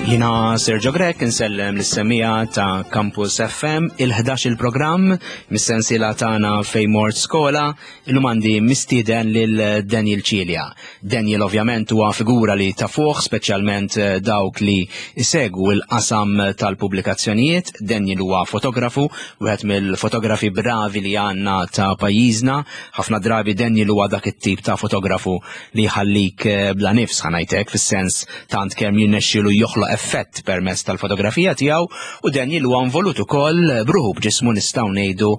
Jina Sergio Grek insellem l-semija ta' Campus FM il-11 il-programm mis-sensiela tagħna fejn mort skola illum għandi mistieden lil Daniel Cilia. Daniel ovvjament huwa figura li tafuh speċjalment eh, dawk li isegwu l-qasam tal-pubblikazzjonijiet. Daniel huwa fotografu, wieħed mill-fotografi bravi li għandna ta' pajjiżna. Ħafna drabi Daniel huwa dak it-tip ta' fotografu li jħallik eh, bla nifs ħanajtek fis-sens tant kemm jirnexxielu joħloq effett permezz tal-fotografija tiegħu u Daniel huwa involut ukoll bruħu b'ġismu nistgħu ngħidu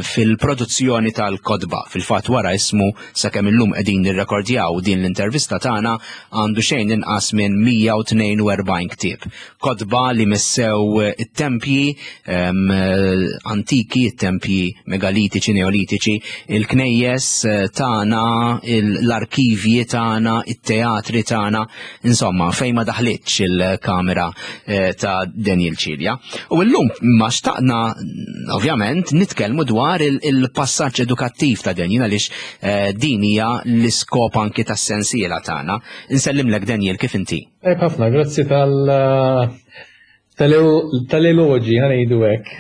fil-produzzjoni tal-kotba. Fil-fatt wara ismu sakemm illum qegħdin nirrekordjaw din l-intervista tagħna għandu xejn inqas minn 142 ktieb. Kotba li missew it-tempji antiki, it-tempji megalitiċi, neolitiċi, il-knejjes eh, tagħna, l-arkivji tagħna, it-teatri tagħna, insomma, fejn ma daħlitx il-kamera eh, ta' Daniel Cilia. U llum ma xtaqna ovvjament nitkellmu dwar il-passaġġ edukattiv ta' Daniel għaliex eh, din hija l-iskop anki tas-sensiela tagħna. Insellimlek Daniel kif inti? Tajb ħafna, grazzi tal tal-eloġi, ħanejdu hekk.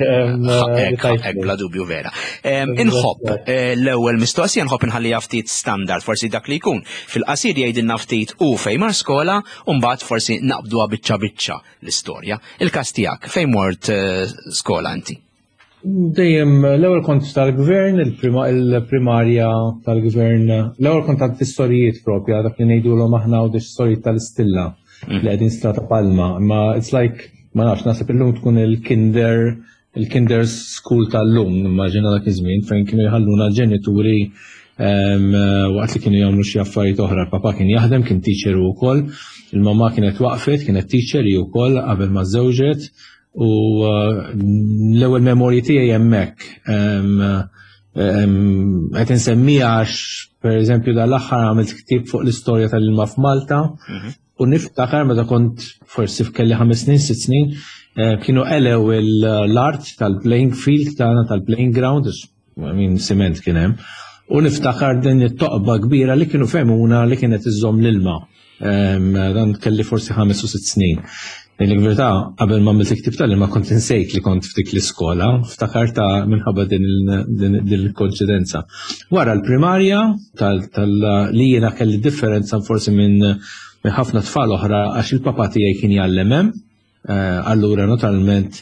Hekk, bla dubju vera. Inħobb eh, l-ewwel mistoqsija nħobb inħalliha ftit standard, forsi dak li jkun. Fil-qasir jgħidilna ftit u fejn mar skola, u mbagħad forsi naqbduha biċċa biċċa l-istorja. Il-każ tiegħek fejn mort eh, skola inti? Dejjem l-ewwel kont tal-gvern, il-primarja tal-gvern, l-ewwel kont tal-tistorijiet propja, dak li ngħidulhom aħna u tistorijiet tal-istilla mm. li qegħdin strata palma, imma it's like ma nafx naħseb illum tkun il-kinder il-kinder school tal-lum, immaġina dak iż-żmien fejn kienu jħalluna l-ġenituri waqt li kienu jagħmlu xi affarijiet oħra. Papa kien jaħdem, kien teacher ukoll, il-mamma kienet waqfet, kienet teacher hi wkoll qabel ma żewġet U uh, l-ewwel memorji tiegħi hemmhekk. Qed insemmiha għax pereżempju dal-aħħar għamilt ktieb fuq l-istorja tal-ilma f'Malta mhm. u niftakar meta kont forsi f'kelli ħames snin, sitt snin, eh, kienu elew l-art tal-playing field tagħna tal-playing ground, I mean, siment kien hemm. U niftakar din it-toqba kbira li kienu femuna li kienet iżżomm l-ilma. Dan kelli forsi ħames u sitt snin. Din il-verità, qabel ma għamilt il-ktib tal-ilma kont insejt li kont f'dik l-iskola, ftakarta minħabba din il-konċidenza. Wara l-primarja li jiena kelli differenza forsi minn ħafna tfal oħra għax il-papa tiegħi kien jgħallem hemm, Eh, allura naturalment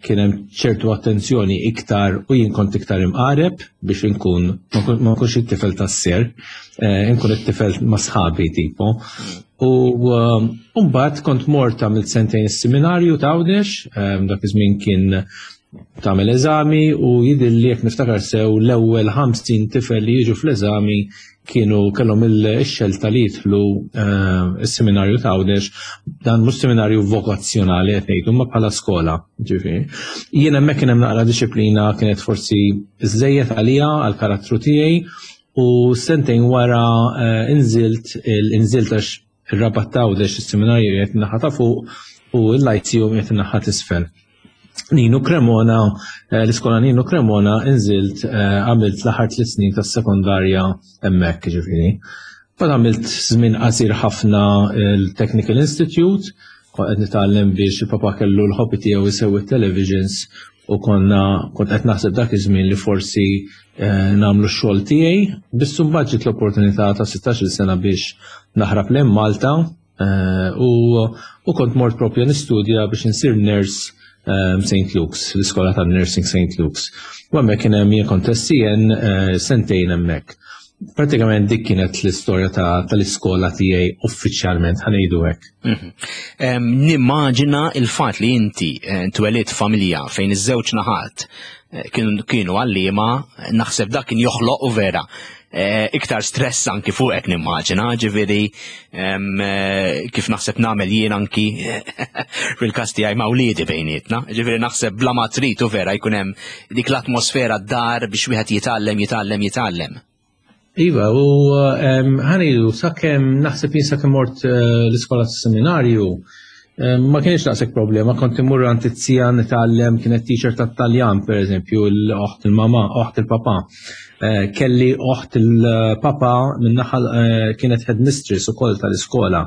kien hemm ċertu attenzjoni iktar u jien kont iktar imqareb biex inkun ma nkunx it-tifel tas-ser, eh, inkun it-tifel ma' sħabi tipo. U eh, mbagħad kont mort għamilt sentejn is-seminarju ta' Għawdex, dak iż-żmien kien tagħmel eżami u jidhirli jekk niftakar sew l-ewwel 50 tifel li jiġu fl-eżami kienu kellhom il-xelta li jidħlu eh, s-seminarju ta' Għawdex, dan mhux seminarju vokazzjonali qed ngħidu ma bħala skola, ġifieri. Jien hemmhekk kien hemm naqra disciplina kienet forsi żejjed għalija għall-karattru tiegħi u sentejn wara eh, inżilt inżilt għax Ir-Rabat ta' Għawdex is-seminarju qiegħed in-naħa ta' fuq u l-Lyceum qiegħed in-naħa t'isfel. Ninu Cremona, eh, l-iskola Ninu Cremona inżilt eh, għamilt l-aħħar tliet snin tas-sekondarja hemmhekk ġifieri. Bad għamilt żmien qasir ħafna il-Technical Institute, kont qed nitgħallem biex il-papa kellu l-hobby tiegħu jsewwi televisions u konna kont qed naħseb dak iż-żmien li forsi eh, nagħmlu x-xogħol tiegħi, biss imbagħad ġiet l-opportunità ta' 16-il sena biex naħrab lejn Malta eh, u, u kont mort propju nistudja biex insir nurse eh, St. Luke's, l-iskola tan-nursing St. Luke's. U hemmhekk kien hemm jien kont SCN sentejn hemmhekk. Pratikament dik kienet l-istorja tal-iskola tiegħi uffiċjalment ħanejdu hekk. Mhm. Nimmaġina il-fatt li inti eh, twelidt familja fejn iż-żewġ naħat eh, kienu għalliema, naħseb dak kien joħloq u vera eh, iktar stress anki fuqek nimmaġina, ġifieri kif naħseb nagħmel jien anki fil-każ tiegħi ma' wliedi bejnietna, ġifieri naħseb bla ma trid u vera jkun hemm dik l-atmosfera d-dar biex wieħed jitgħallem, jitgħallem, jitgħallem. Iva, u ħanidu, sakemm naħseb jien sakemm mort eh, l-iskola seminarju, Ma kienx daqshekk problema, kont immur għand it-tija nitgħallem, kienet teacher tat-Taljan pereżempju, l-oħt il-mama, oħt il-papa. Eh, kelli oħt il-papa min-naħa eh, kienet headmistress ukoll tal-iskola.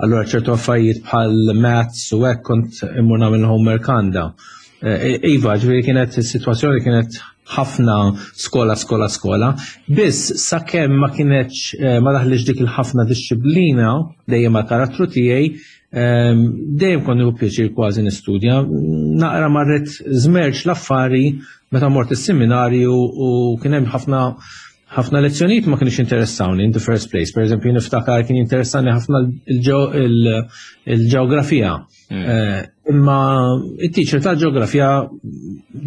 Allura ċertu affarijiet bħal maths u hekk kont immur nagħmel homework għandha. Eh, iva, ġifieri kienet is-sitwazzjoni kienet ħafna skola, skola, skola. Biss sakemm ma kienx ma daħlix dik il-ħafna disċiplina dejjem mal karattru tiegħi, Dejjem kont nieħu pjaċir kważi nistudja. Naqra marret żmerġ l-affari meta mort is-seminarju u kien hemm ħafna ħafna lezzjonijiet ma kienx interessawni in the first place. Per eżempju, niftakar kien interessani ħafna il-ġeografija. Eh, imma it-teacher tal-ġeografija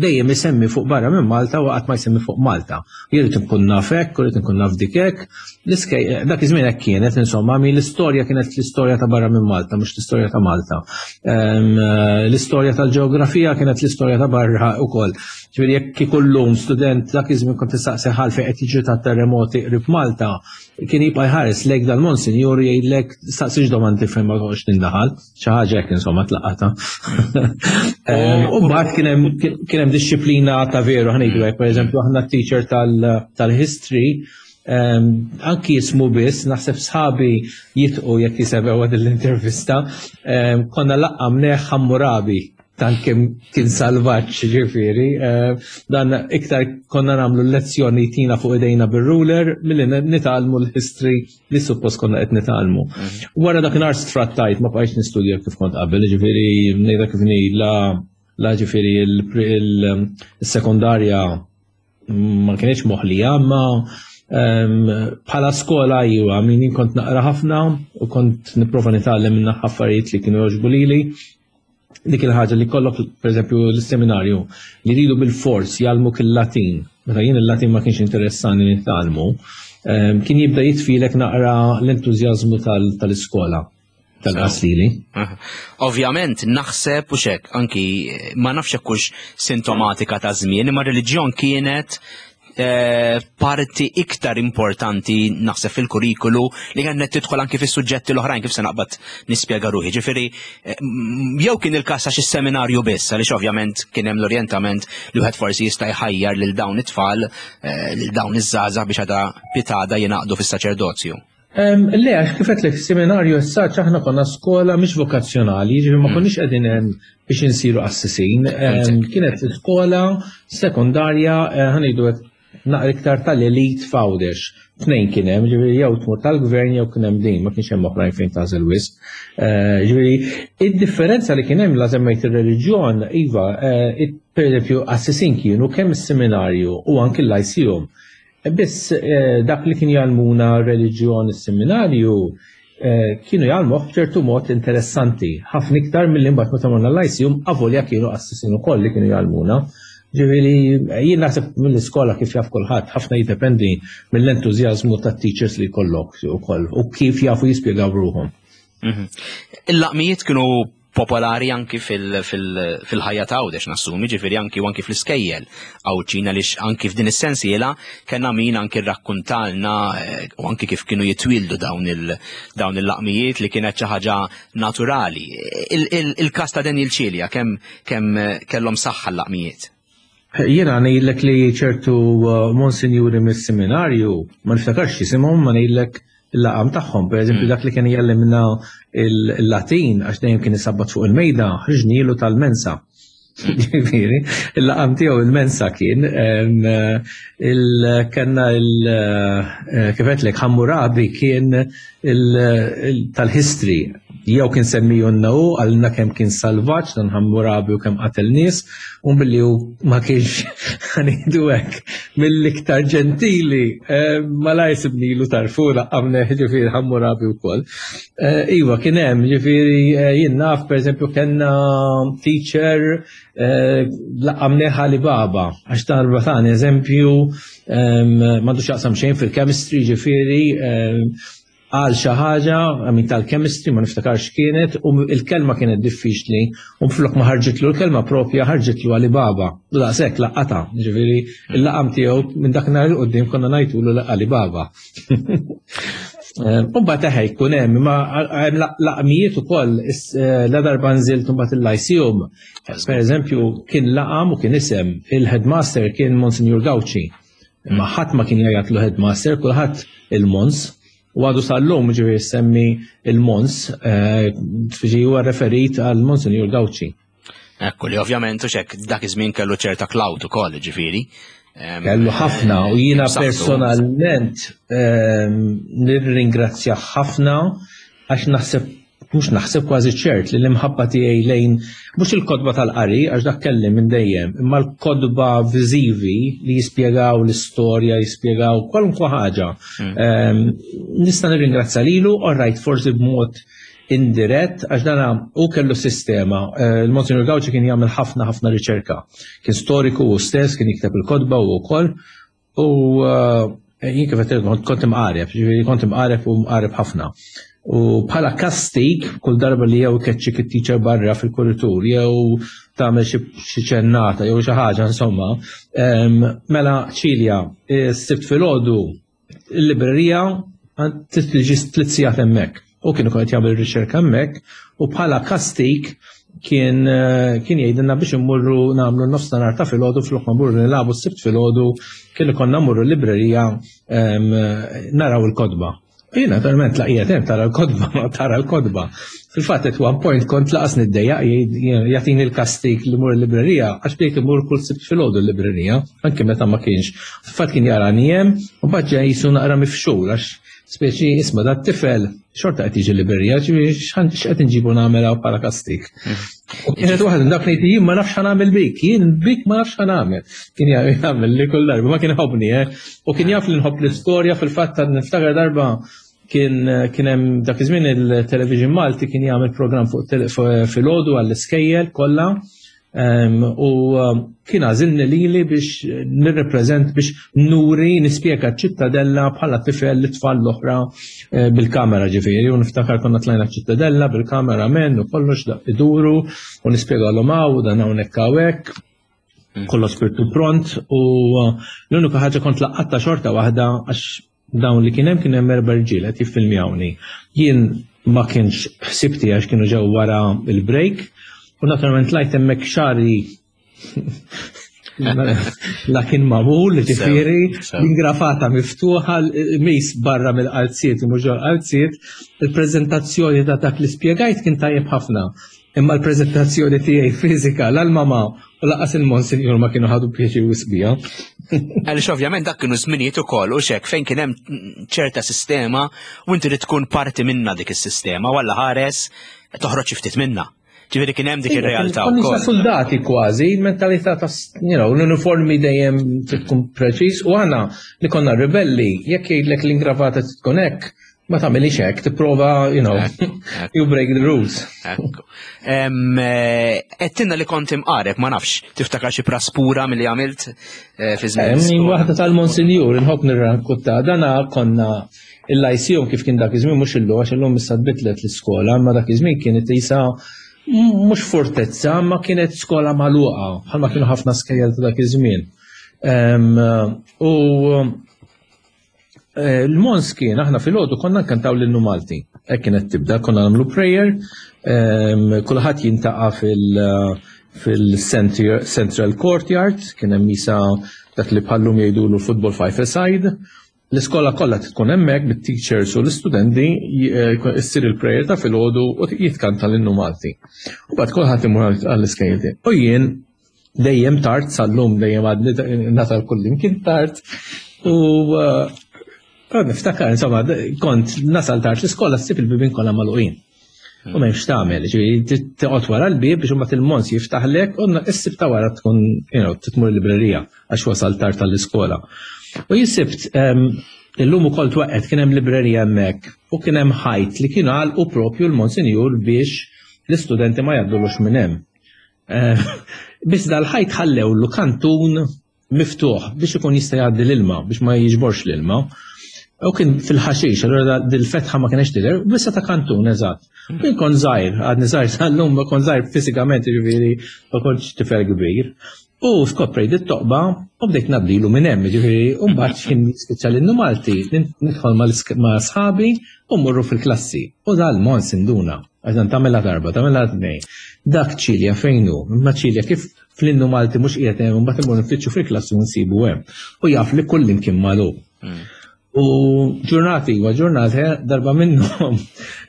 dejjem isemmi fuq barra minn Malta u qatt ma jsemmi fuq Malta. Jien irid inkun naf hekk, u rrid inkun naf dik hekk. Dak iż-żmien hekk kienet, insomma, mi l-istorja kienet l-istorja ta' barra minn Malta, mhux l-istorja ta' Malta. Ehm, l-istorja tal-ġeografija kienet l-istorja ta' barra ukoll. Ġifieri jekk ikollhom student dak iż-żmien kont tistaqsi ħalfejn qed jiġri ta' terremoti qrib Malta, kien jibqa' jħares lejk dal-monsinjur jgħidlek staqsix domandi fejn ma toqgħodx tindaħal. Xi ħaġa hekk insomma tlaqata. Ehm, u mbagħad kien hemm disċiplina ta' veru ħnejdu hekk, pereżempju aħna teacher tal-history ehm, anki jismu biss, naħseb sħabi jitqu jekk jisebew għad l-intervista, ehm, konna laqqamneħ Hammurabi tant kemm kien salvaġġ ġifieri, eh, dan iktar konna nagħmlu lezzjoni tina fuq idejna bir-ruler milli nitgħallmu l-history li suppost konna qed nitgħallmu. Mhm. Wara dakinhar sfrattajt ma bqajtx nistudja kif kont qabel, ġifieri ngħidha kif la la ġifieri il-sekondarja ma kienx moħlija, ma bħala skola iwa, min kont naqra ħafna u kont nipprova nitgħallem minn affarijiet li kienu jogħġbu lili dik il-ħaġa li kollok, per eżempju, l-seminarju, li ridu bil-fors jgħallmuk il-Latin, meta jien il-Latin ma kienx interessani nitgħallmu, ehm, kien jibda jitfilek naqra l-entużjażmu tal-iskola tal-qaslili. Ovvjament naħseb u xek, anki ma nafx hekk sintomatika ta' żmien, imma reliġjon kienet Eh, parti iktar importanti naħseb fil-kurrikulu li kienet tidħol anki fis-suġġetti l-oħrajn kif se naqbad nispjega ruħi. Ġifieri eh, jew kien il-każ għax is-seminarju biss għaliex ovvjament kien hemm l-orjentament li wieħed forsi jista' jħajjar lil dawn it-tfal eh, lil dawn iż-żgħażagħ biex għada pitada jingħaqdu fis-saċerdozju. Le, għax kif għedtlek seminarju essaċ aħna konna skola mhix vokazzjonali, ġifieri ma mm. konniex qegħdin hemm biex insiru qassisin. Kienet skola sekondarja eh, ħanejdu naqra iktar tal-elit f'Għawdex. Tnejn kien hemm, ġifieri jew tmur tal-gvern jew kien hemm din, ma kienx hemm oħrajn fejn tagħżel wisq. Eh, ġifieri id-differenza li kien hemm la semmejt ir-reliġjon, iva, eh, pereżempju qassisin kienu kemm is-seminarju u anki l-lyceum. Biss eh, dak li kien jgħallmuna reliġjon is-seminarju eh, kienu jgħallmuh b'ċertu mod interessanti, ħafna iktar milli mbagħad meta morna l-lyceum avolja kienu qassisin ukoll li kienu jgħallmuna. Ġifieri jien naħseb mill-iskola kif jaf kulħadd, ħafna jiddependi mill-entużjażmu tat-teachers li jkollok ukoll u kif jafu jispjegaw ruħhom. Mhm. Il-laqmijiet kienu popolari anki fil-ħajja ta' Għawdex nassumi, ġifieri anki u anki fl-iskejjel Għawdxin għaliex anki f'din is-sensiela kellna min anki rrakkuntalna eh, u anki kif kienu jitwildu dawn il-laqmijiet li kienet xi ħaġa naturali. Il-każ ta' Daniel Cilia kemm kemm kellhom saħħa l-laqmijiet? Jiena ngħidlek li ċertu uh, monsinjuri mis-seminarju, ma niftakarx jisimhom, ma ngħidlek il-laqam tagħhom. Per eżempju, mm. dak li kien jgħallimna il-Latin għax dejjem kien isabbat fuq il-mejda, ħriġnilu tal-mensa. Ġifieri, il-laqam tiegħu il-mensa kien, il-kenna il- eh, kif għedtlek Hammurabi kien tal-history jew kien semmijunna hu għalina kemm kien salvaġġ dan Hammurabi u kemm qatel nies u billi hu ma kienx ħanidu hekk mill-iktar ġentili eh, malajr sibnilu tarfu laqqamna ġifieri Hammurabi wkoll. Eh, iva kien hemm ġifieri eh, jien naf pereżempju kellna teacher laqqamnieh Alibaba għax darba tani eżempju m'għandux jaqsam xejn fil-chemistry ġifieri għal xi ħaġa min tal-chemistry ma niftakarx kienet u il-kelma kienet diffiċli u flok ma ħarġitlu l-kelma propja ħarġitlu Alibaba. U daqshekk laqata, ġifieri il-laqam tiegħu minn dak nhar il qudiem konna ngħidulu Alibaba. Umbat eħe jkun hemm, imma hemm laqmijiet ukoll eh, la darba nżilt imbagħad il-Lyceum. Per eżempju, kien laqam u kien isem il-headmaster kien Monsignor Gauci. Imma ħadd ma kien jgħajatlu headmaster, kulħadd il-Mons. U għadu sal-lum ġifieri semmi il-Mons, eh, ġifieri huwa referit għal Monsignor Gauci. Ekku li ovvjament u xek dak iż-żmien kellu ċerta cloud ukoll ġifieri. Kellu ħafna u jiena personalment nirringrazzja ħafna għax naħseb mhux naħseb kważi ċert li l-imħabba tiegħi lejn mhux il-kodba tal-qari għax dak kelli minn dejjem, imma l-kodba viżivi li jispjegaw l-istorja, jispjegaw kwalunkwe ħaġa. Hmm. Nista' nirringrazzja lilu, all right, forsi b'mod indirett għax dana u kellu sistema. Eh, Il-Monsignor Gauci kien jagħmel ħafna ħafna riċerka. Kien storiku u stess, kien jikteb il-kotba u wkoll. U eh, jien kif qed kont imqareb, ġifieri kont imqareb u mqareb ħafna. U bħala kastik, kull darba li jew keċċik it-teacher barra fil-kuritur, jew tagħmel xi ċennata jew xi ħaġa insomma, mela ċilja, s-sibt filgħodu il-librerija tiġi tliet sigħat hemmhekk. U kienu qed jagħmel riċerka hemmhekk u bħala kastik kien eh, kien jgħidilna biex immurru nagħmlu nofs nar ta' filgħodu flok ma mmurru nilagħbu s-sibt filgħodu kien ikollna mmurru l-librerija ehm, naraw il-kotba. Jien naturalment laqqiet hemm tara l-kotba, tara l-kotba. Fil-fatt at one point kont laqas niddejjaq jagħtini l-kastik li mur il-librerija għax bdejt imur kull sibt filgħodu l-librerija, anke meta ma kienx. Fil-fatt kien jarani hemm u mbagħad ġej jisu naqra mifxul għax speċi isma' dat tifel xorta qed jiġi l-librerija, x'qed inġibu nagħmel hawn bħala kastik. U kienet waħda dak li jien ma nafx ħanamel bik, jien bik ma nafx ħanamel. Kien jagħmel li kull darba, ma kien ħobni, eh. U kien jaf li nħobb l-istorja fil-fatt ta' niftakar darba kien kien hemm dak iż-żmien il-television Malti kien jagħmel programm fuq filgħodu għall-iskejjel kollha u kien għażilni lili biex nirrepreżent biex nuri nispjega ċ-ċittadella bħala tifel li tfal l-oħra eh, bil-kamera ġifieri u niftakar konna tlajna ċittadella bil-kamera men u kollox daq iduru u nispjegalhom hawn dan hawnhekk hawnhekk mm. kollox spirtu pront u eh, l-unika ħaġa kont laqqatta xorta waħda għax dawn li kien hemm kien hemm erba' rġiel qed jiffilmjawni. Jien ma kienx ħsibti għax kienu ġew wara il-break u naturalment lajt hemmhekk xari la kien magħmul, ġifieri, l-ingrafata miftuħa, mis barra mill-qalziet u mhux ġol-qalziet, il-preżentazzjoni ta' dak li spjegajt kien tajjeb ħafna. Imma l-preżentazzjoni tiegħi fiżika l-mama u laqas il-monsinjur ma kienu ħadu pjaċir wisbija. Għaliex ovvjament dak kienu żminijiet ukoll u xek fejn kien hemm ċerta sistema u inti trid tkun parti minna dik is-sistema u alla ħares toħroġ ftit minna. Ġifieri kien hemm dik ir-realtà wkoll. Soldati kważi, il-mentalità ta' you know, l-uniformi dejjem trid tkun preċiż u aħna li konna ribelli jekk jgħidlek l-ingravata tkun hekk, ma tagħmilix hekk, tipprova, you know, you break the rules. Ekku. Eh, Għedtilna li kont imqareb, ma nafx, tiftakar xi praspura milli għamilt eh, fi żmien. Hemm waħda tal-Monsinjur, inħobb nirrakkunta, dana konna il-lyceum kif kien dak iż-żmien mhux illum għax illum issa tbidlet l-iskola, imma dak iż-żmien kienet isa mhux fortezza, ma kienet skola magħluqa, bħalma kienu ħafna skejjel ta' dak iż-żmien. U Eh, L-Mons kien, aħna fil-ħodu konna nkantaw l-innu Malti. Hekk kienet tibda, konna nagħmlu prayer, ehm, kulħadd jintaqa' fil- fil-Central Courtyard, kien hemm isa dak li bħallum jgħidulu football five aside. L-iskola kollha tkun hemmhekk bit-teachers u l-istudenti eh, issir il-prayer ta' filgħodu u jitkanta l-innu Malti. U bad kulħadd imur għall-iskejjel. U jien dejjem tard sal-lum dejjem għadni nasal kullimkien tard u uh, niftakar insomma kont nasal tard l-iskola ssib il-bibien kollha magħluqin. U m'hemmx tagħmel, ġifieri toqgħod wara l-bieb biex imbagħad il-mons jiftaħlek u issib ta' wara tkun you know, titmur l-librerija għax wasal tard tal-iskola. U jisibt ehm, illum ukoll twaqqet kien hemm librerija hemmhekk u kien hemm ħajt li kienu għalqu propju l-monsinjur biex l-istudenti ma jgħaddulux minn hemm. Eh, biss dal-ħajt ħallew kantun miftuħ biex ikun jista' jgħaddi l-ilma, biex ma jiġborx l-ilma. U kien fil-ħaxix, allura dil-fetħa ma kienx tidher, bissa ta' kantun eżatt. Kien kon żgħir, għadni żgħir sal-lum ma kon żgħir fiżikament, jiġifieri ma kontx tifel kbir. U skoprejt it-toqba u bdejt nabdilu minn hemm, ġifieri, u mbagħad x'ħin jispiċċa l-innu Malti, nidħol ma' sħabi u mmorru fil-klassi. U dal-mons induna, għax dan tagħmilha darba, tagħmilha tnejn. Dak Ċilja fejn hu? Imma Ċilja kif fl-innu Malti mhux qiegħed hemm, mbagħad immorru nfittxu fil-klassi u nsibu hemm. U jaf li kullimkien magħluq. U ġurnati wa ġurnati darba minnhom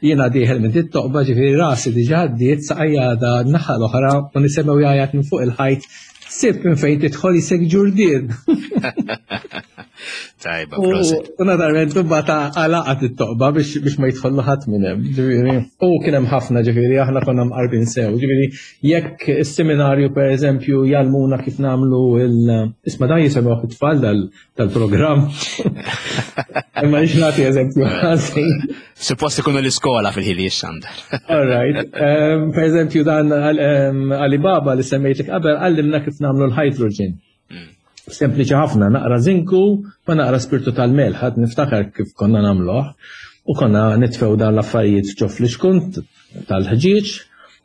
jiena dieħel minn dit-toqba ġifieri rasi diġà għaddiet saqajja għadha n-naħa l-oħra u nisemgħu jgħajjat minn fuq il-ħajt sib minn fejn tidħol jisek ġurdien. Tajba, prosit. U naturalment imbagħad għalaqat it-toqba biex ma jidħollu ħadd minn hemm, ġifieri. U kien hemm ħafna ġifieri aħna konna mqarbin sew, ġifieri jekk is-seminarju pereżempju jgħallmuna kif nagħmlu il isma' dan jisemgħu it-tfal dal tal-programm. Imma nix nagħti eżempju ħażin. Suppost ikunu l-iskola fil-ħili xandar. All right. Um, per eżempju dan um, Alibaba li semmejtlek qabel għallimna kif nagħmlu l-hydrogen. Hmm. Sempliċi ħafna, naqra zinku ma naqra spirtu tal-melħ, ħadd niftakar kif konna nagħmluh. U konna nitfew dan l-affarijiet ġo fl-iskun tal-ħġieġ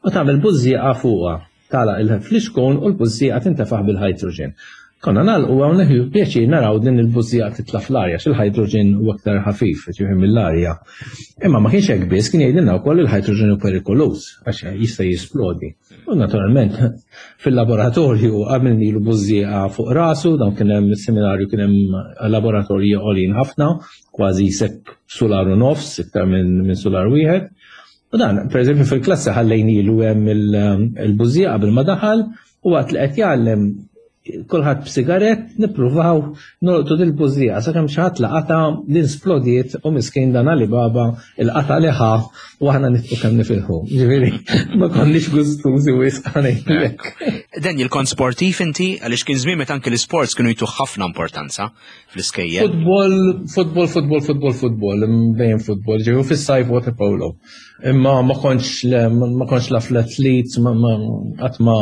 u tagħmel bużżieqa fuqha. Tagħlaq il-flixkun u l-bużżieqa tintefaħ bil-hydrogen. Konna nagħlqu hawn nieħdu pjaċir naraw din il-bużżieqa titla' fl-arja għax il-hydrogen huwa aktar ħafif, ġifieri mill-arja. Imma ma kienx hekk biss, kien jgħidilna wkoll il-hydrogen hu perikoluż għax jista' jisplodi. U naturalment fil-laboratorju għamilnilu bużżieqa fuq rasu, dan kien hemm seminarju kien hemm laboratorji għolin ħafna, kważi sekk sular u nofs, iktar minn sular wieħed. U dan, per eżempju, fil-klassi ħallejnilu hemm il-bużija qabel ma daħal u waqt li qed jgħallem kulħadd b'sigarett nippruvaw nolqtu dil-bużija sakemm xi ħadd laqata din splodiet u miskin dan Alibaba il-qata li ħa u aħna nitqu kemm nifilħu. Ġifieri ma konniex gustużi wisq ngħidlek. Daniel, kont sportiv inti għaliex kien żmien meta anke l-isports kienu jtuh ħafna importanza fl-iskejjel. Futbol, futbol, futbol, futbol, futbol, dejjem futbol, ġew fis-sajf water polo. Imma ma kontx ma kontx la fl-athletes, ma qatt ma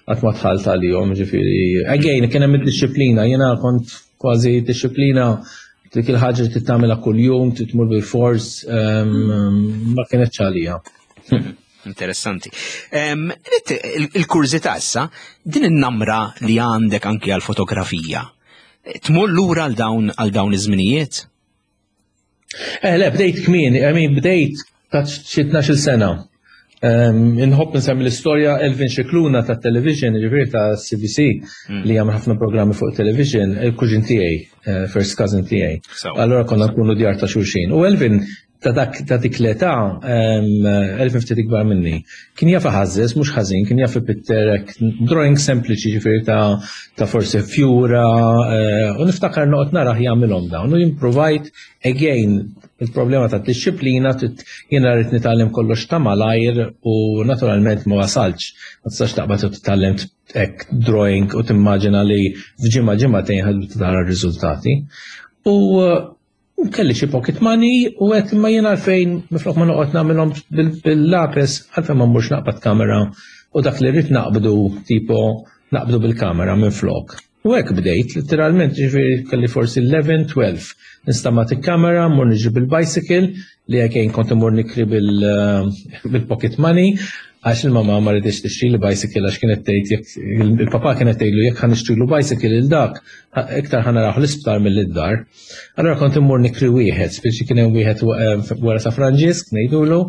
qatt ma dħalt għalihom, ġifieri. Again, kien hemm id-disciplina, jiena kont kważi disciplina dik il-ħaġa li tittamilha kuljum, titmur bil-fors, ma kienx għalija. Interessanti. Il-kurżità issa, din in-namra li għandek anki għal-fotografija, tmur lura għal dawn għal dawn iż-żminijiet? Eh, le, bdejt kmieni, I mean, bdejt ta' xi 12 sena. Inħobb nsemmi l-istorja Elvin Xikluna ta' television, ġifieri ta' CBC, hmm. li jagħmel ħafna programmi fuq television, il-kuġin tiegħi, eh, first cousin tiegħi. Allora konna nkunu djar ta' xulxin. U Elvin ta' dak ta' dik l-età, Elvin ftit ikbar minni, kien jaf iħażżeż mhux ħażin, kien jaf ipitter hekk drawing sempliċi ġifieri ta' ta' forsi fjura, eh, u niftakar noqgħod narah jagħmilhom dawn u jimpruvajt again il-problema ta' disċiplina jiena rrid nitgħallem kollox ta' malajr u naturalment ma wasalx. Ma tistax taqbad u titgħallem hekk drawing u timmaġina li f'ġimgħa ġimgħatejn ħad tara r-riżultati. U U kelli xi pocket money u għedt imma jien għalfejn minflok ma noqgħod nagħmilhom bil-lapis għalfejn ma mmurx naqbad kamera u dak li rrid naqbdu tipo naqbdu bil-kamera minflok. U hekk bdejt, literalment ġifieri kelli forsi 11, 12. Nistamat il-kamera, mmur niġri bil-bicycle li again kont immur nikri bil-pocket money Għax il-mamà ma riditx tixtrili bicycle għax kienet tgħid jekk il-papà kienet tgħidlu jekk ħa nixtrilu bicycle lil dak iktar ħa narah l-isptar milli d-dar. Allura kont immur nikri wieħed, speċi kien hemm wieħed eh, wara Sa Franġisk ngħidulu,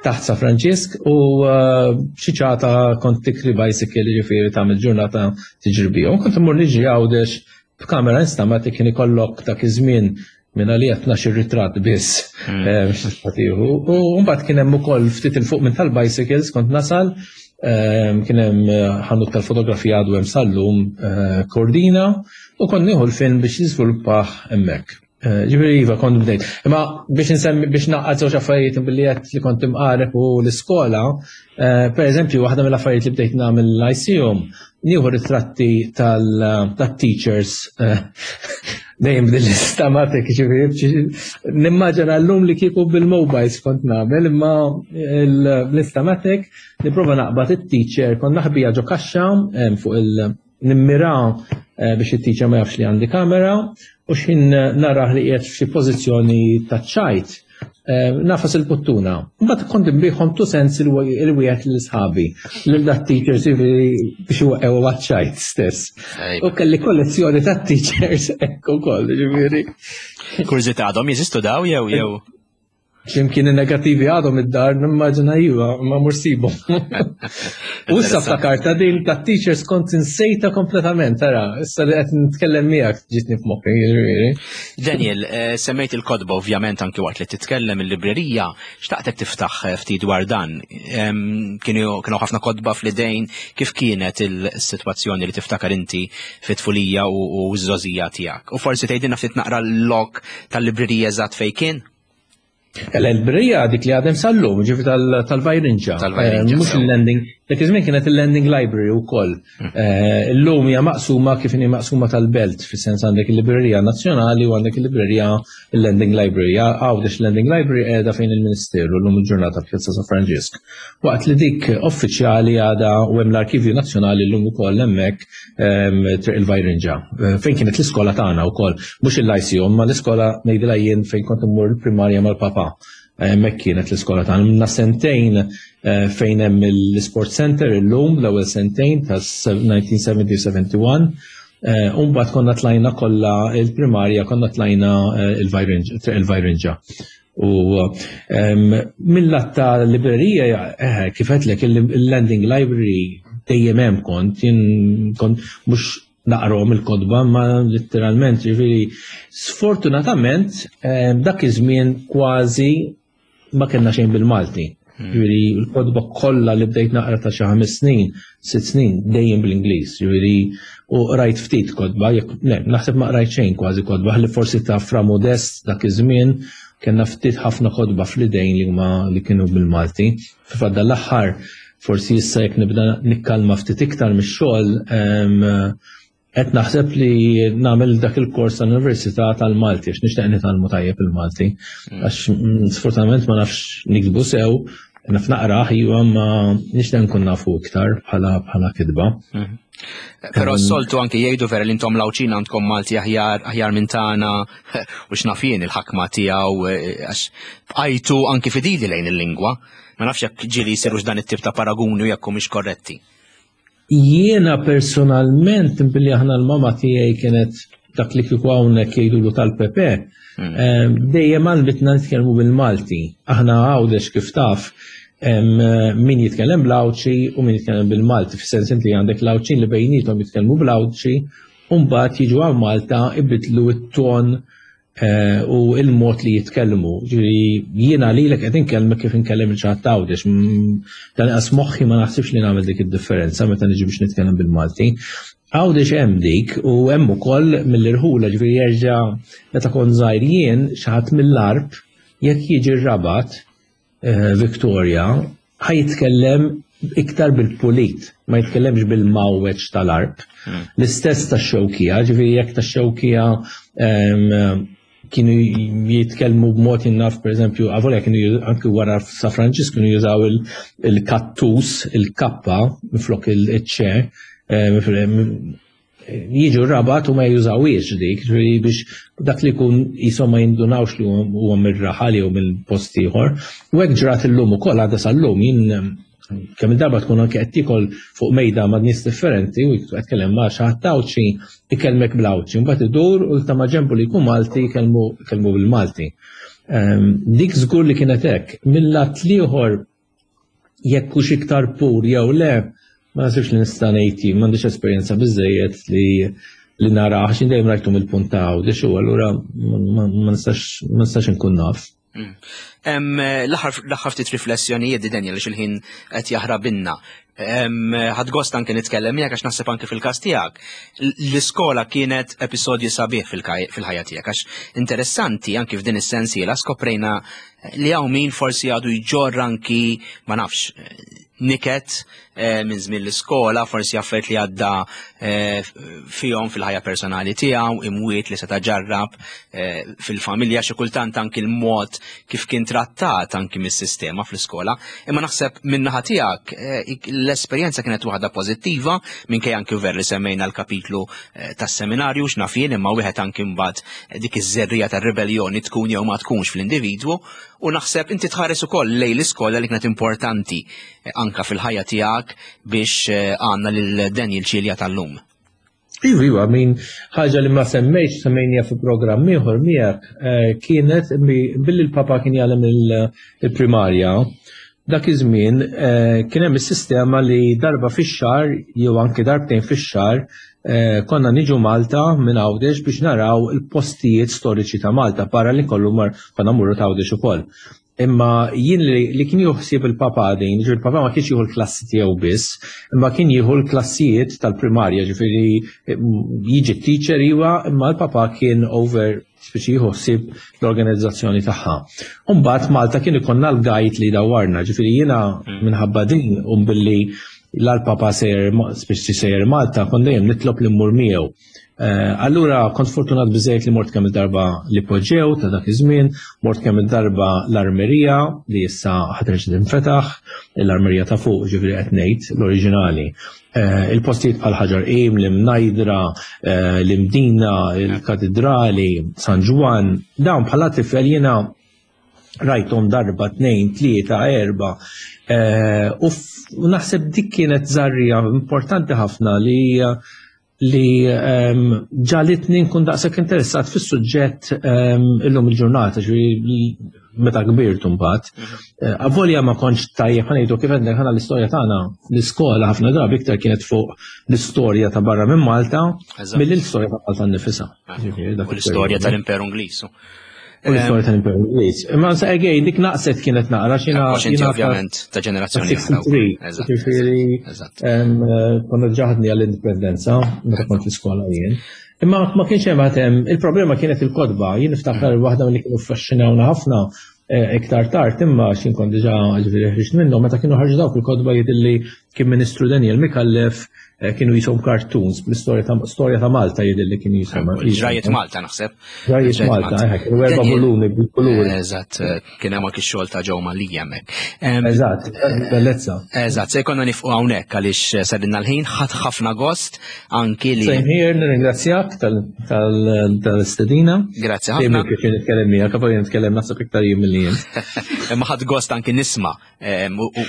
taħt Sa Franġisk u eh, xi ċata kont tikri bicycle jiġifieri tagħmel ġurnata tiġri bihom. Kont immur niġri Għawdex b'kamera instamatic kien ikollok dak iż-żmien minn għalija 12 ritratt biss hmm. eh, biex U mbagħad kien hemm ukoll ftit il fuq minn tal-bicycles kont nasal eh, kien hemm eh, ħanut tal-fotografija għadu hemm sallum Kordina u kont nieħu l-film biex jiżviluppah hemmhekk. Ġifieri iva kont bdejt. Imma biex insemmi biex naqqad żewġ affarijiet billi qed li kont imqareb u l-iskola, per eżempju waħda mill-affarijiet li bdejt nagħmel l-ICUM nieħu ritratti tal-teachers eh, dejjem bil-istamatik ġifieri nimmaġina llum li kieku bil-mobiles kont nagħmel imma l-istamatik nipprova naqbad it-teacher kont naħbija ġo kaxxa eh, fuq il nimmira eh, biex it-teacher ma jafx li għandi kamera u x'ħin narah li qiegħed f'xi pożizzjoni ta' ċajt. Nafas il-puttuna. Mbagħad kont inbiħhom tu sens il-wieħed lil sħabi, lil dat teachers jiġifieri biex iwaqqgħu għaċ-ċajt stess. U kelli kollezzjoni ta' teachers hekk ukoll, jiġifieri. Kurżità għadhom jeżistu daw jew jew? X'imkien in-negattivi għadhom id-dar nimmaġina iva, ma mur sibhom. U issa ftakarta din ta' teachers kont insejta kompletament, tara, issa li qed nitkellem miegħek ġitni f'moħħi, jiġifieri. Daniel, eh, semmejt il-kodba ovvjament anki waqt li titkellem il-librerija, xtaqtek tiftaħ eh, ftit dwar dan. Kienu ħafna kodba fl-idejn, kif kienet il-sitwazzjoni li tiftakar inti fit-tfulija u ż-żożija tiegħek? U forsi tgħidilna ftit naqra l-lok tal-librerija eżatt fejn kien? L-librerija dik li għadem sal-lum, ġifi tal-Vajrinġa. Eh, mhux il-lending, dak iż-żmien kienet il-lending library wkoll. Hmm. Eh, illum hija maqsuma kif inhi maqsuma tal-belt, fis-sens għandek il-librerija nazzjonali u għandek il-librerija il-lending library. Għawdex lending library qiegħda fejn il-Ministeru llum il-ġurnata Pjazza San Franġisk. Waqt li dik uffiċjali għadha u hemm l-Arkivju Nazzjonali llum ukoll hemmhekk Triq il-Vajrinġa, eh, fejn kienet l-iskola tagħna wkoll, mhux il-Lyceum, ma l-iskola ngħidilha jien fejn kont immur il-primarja mal-papa. Hemmhekk kienet l-iskola tagħna. Minna sentejn eh, fejn hemm l-Sport Center illum l-ewwel sentejn ta' 1970-71. Eh, Umbagħad konna tlajna kollha il-primarja, konna tlajna il-Vajrinġa. U mill-lat ta' librerija, eh, kif għedtlek il-lending library dejjem hemm kont, jien kont mhux naqrom il-kotba, ma letteralment, ġifieri sfortunatament dak iż-żmien kważi ma kellna xejn bil-Malti. Hmm. Ġifieri l-kotba kollha li bdejt naqra ta' xi ħames snin, sitt snin dejjem bl-Ingliż, ġifieri u rajt ftit kotba, jekk le, naħseb ma qrajt xejn kważi kotba, ħalli forsi ta' Fra Modest dak iż-żmien kellna ftit ħafna kotba fl-idejn li huma li kienu bil-Malti. Fil-fatt l-aħħar forsi issa jekk nibda nikkalma ftit iktar mix-xogħol qed naħseb li nagħmel dak il-kors tal-Università tal-Malti għax nixtieq nitgħallmu tajjeb il-Malti. Mm. Għax mm, sfortunatament ma nafx nikbu sew, naf naqrah iva ma nixtieq nkun nafu iktar bħala bħala kitba. Mm. Però s-soltu anki jgħidu vera li intom l-Għawdxin għandkom Malti aħjar aħjar minn tagħna u x'naf jien il-ħakma tiegħu eh, għax bqajtu anki fidili lejn il-lingwa. Ma nafx jekk ġieli jsirux dan it-tip ta' paraguni u jekk humiex korretti. Jiena personalment billi aħna l-mama tiegħi kienet dak li kieku hawnhekk jgħidulu tal-Pepe, hmm. eh, dejjem għalbitna nitkellmu bil-Malti. Aħna Għawdex kif taf, min jitkellem bl-Għawdxi u min jitkellem bil-Malti, fis-sens inti għandek l-Għawdxin li bejnietom jitkellmu bl-Għawdxi, u mbagħad jiġu għal Malta ibidlu t-ton eh, u il-mod li jitkellmu. Ġifieri jiena lilek qed inkellmek kif inkellem il ċaħat Għawdex. Dan qas moħħi ma naħsibx li nagħmel dik id-differenza meta niġi biex nitkellem bil-Malti. Għawdex hemm dik u hemm ukoll mill-irħula ġifieri jerġa' meta kont żgħir jien xi ħadd mill-arb jekk jiġi r-Rabat Eh, Victoria ħaj jitkellem iktar bil-pulit, ma jitkellemx bil-mawweġ tal-arb. Hmm. L-istess ta' xewkija, ġifieri jekk ta' xewkija kienu jitkellmu b'mod jinnaf, per eżempju, għavolja kienu anki wara Sa Franċis kienu jużaw il-kattus, il-kappa, minflok il-ċe, jiġu rabat u ma jużawiex dik, ġifieri biex dak li jkun jisom ma jindunawx li huwa mir-raħal jew mill-post ieħor. U hekk ġrat illum ukoll għadha sal-lum jien kemm il-darba tkun anke qed tiekol fuq mejda ma' nies differenti u qed tkellem ma' xi ħadd Għawdxi ikellmek bl-Għawdxi, mbagħad idur u ta' ma' ġenbu li jkun Malti jkellmu bil-Malti. Ehm, dik żgur li kienet hekk. Mill-lat l-ieħor jekk hux iktar pur jew le, ma nasibx li nista' ngħid jien, m'għandix esperjenza biżejjed li li nara għax dejjem rajtu mill-punt ta' Għawdex u allura ma nistax inkun naf. Mm. L-aħħar ftit riflessjonijiet di Daniel għax il-ħin qed jaħrabinna. Ħadd gost anke nitkellem miegħek għax naħseb anke fil-każ tiegħek. L-iskola kienet episodju sabiħ fil-ħajja tiegħek għax interessanti anke f'din is-sensiela skoprejna li hawn min forsi għadu jġorr anki ma nafx niket eh, minn żmien l-iskola, forsi affarijiet li għadda eh, fihom fil-ħajja personali tiegħu, imwiet li seta' ġarrab eh, fil-familja xi kultant anki l-mod kif kien trattat anki mis-sistema fl-iskola. Imma naħseb min-naħa tiegħek l-esperjenza kienet waħda pożittiva minkejja anki ver li semmejna l-kapitlu tas-seminarju x'naf jien imma wieħed anki mbagħad dik iż-żerrija tar-ribelljoni tkun jew ma tkunx fl-individwu U naħseb inti tħares ukoll lejn l-iskola li kienet importanti eh, anka fil-ħajja tiegħek biex eh, għandna lil Daniel Ċilja tal-lum. Iva, iva, min ħaġa li ma semmejx, semmejnija fi programm ieħor miegħek, eh, kienet billi l-papa kien jagħlem il-primarja, dak iż-żmien kien hemm is-sistema li darba fix-xahar jew anke darbtejn fix-xahar Eh, konna niġu Malta minn Għawdex biex naraw il-postijiet storiċi ta' Malta, barra li kollu mar konna murru ta' Għawdex ukoll. Imma jien li, li kien juħsib il-papa din, ġifieri il-papa ma kienx jieħu l-klassi tiegħu biss, imma kien jieħu l-klassijiet tal-primarja, ġifieri jiġi teacher iwa, imma l-papa kien over speċi jieħu ħsieb l-organizzazzjoni tagħha. Umbagħad Malta kien ikollna l-gajt li dawwarna, ġifieri jiena mm. minħabba din u billi l-papa sejjer speċi sejjer Malta kont dejjem nitlob li mmur miegħu. Eh, allura kont fortunat biżejjed li mort kemm il-darba li poġġew ta' dak iż-żmien, mort kemm il-darba l-armerija li issa ħaterġ tinfetaħ, l-armerija ta' fuq ġifieri qed ngħid l-oriġinali. Eh, il-postijiet bħal Ħaġar Qim, l-Imnajdra, eh, l-Imdina, il-Katidrali, San Ġwann, dawn bħala tifel jiena rajthom darba, tnejn, tlieta, erba. Eh, u naħseb dik kienet żarrija importanti ħafna li li ehm, ġalitni nkun daqshekk interessat fis-suġġett ehm, illum il-ġurnata, ġifieri meta kbirt mbagħad. Mhm. Eh, avolja ma kontx tajjeb ħanejdu kif għandek ħana l-istorja tagħna l-iskola ħafna drabi iktar kienet fuq l-istorja ta' barra minn Malta mill l-istorja ta' Malta nnifisha. L-istorja tal-Imperu Ingliż. U l-istorja tal-Imperu Ingliż. Imma sa again dik naqset kienet naqra xina. Inti ovvjament ta' ġenerazzjoni. 63. Ġifieri eh, konna ġaħdni għall-indipendenza meta kont l-iskola jien. Imma ma kienx hemm għatem, il-problema kienet il-kodba. Jien niftakar mm. waħda li kienu affaxxinawna ħafna eh, iktar tard imma xin kont diġà ġifieri ħriġt minnhom meta kienu ħarġu dawk il-kodba jidilli kien Ministru Daniel Mikallef eh, kienu jisom cartoons bl-istorja ta' storja ta' Malta jidher li kien jisom. Ġrajiet Malta naħseb. Ġrajiet Malta, eh, kienu erba' volumi bil-kuluri. Eżatt, eh, kien hemm anki xogħol ta' ġew Malija hemmhekk. Eżatt, bellezza. Eżatt, se jkollna nifqu hawnhekk għaliex sadinna l-ħin ħadd ħafna gost anki li. Same here, nirringrazzjak tal-istedina. Grazzi ħafna. Dejjem kif nitkellem miegħek, għax nitkellem naħseb iktar jien milli jien. Imma ħadd gost anki nisma'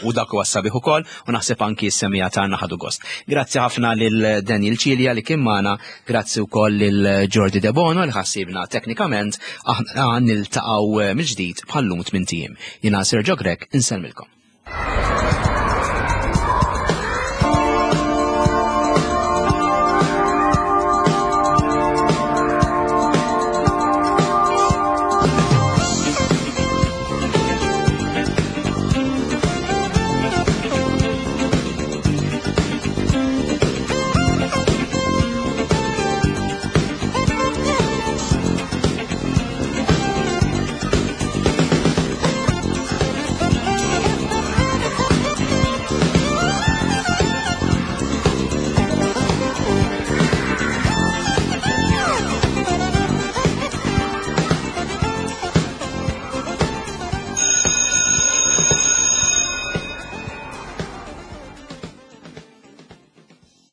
u dak huwa sabiħ ukoll u naħseb anki s-semija tagħna ħadu gost. Grazzi ħafna lil Daniel Cilia li kien magħna, grazzi wkoll lil Jordi Debono li ħassibna teknikament aħna niltaqgħu eh, mill-ġdid bħallum tmien ijiem. Jiena Sergio Grech insellmilkom.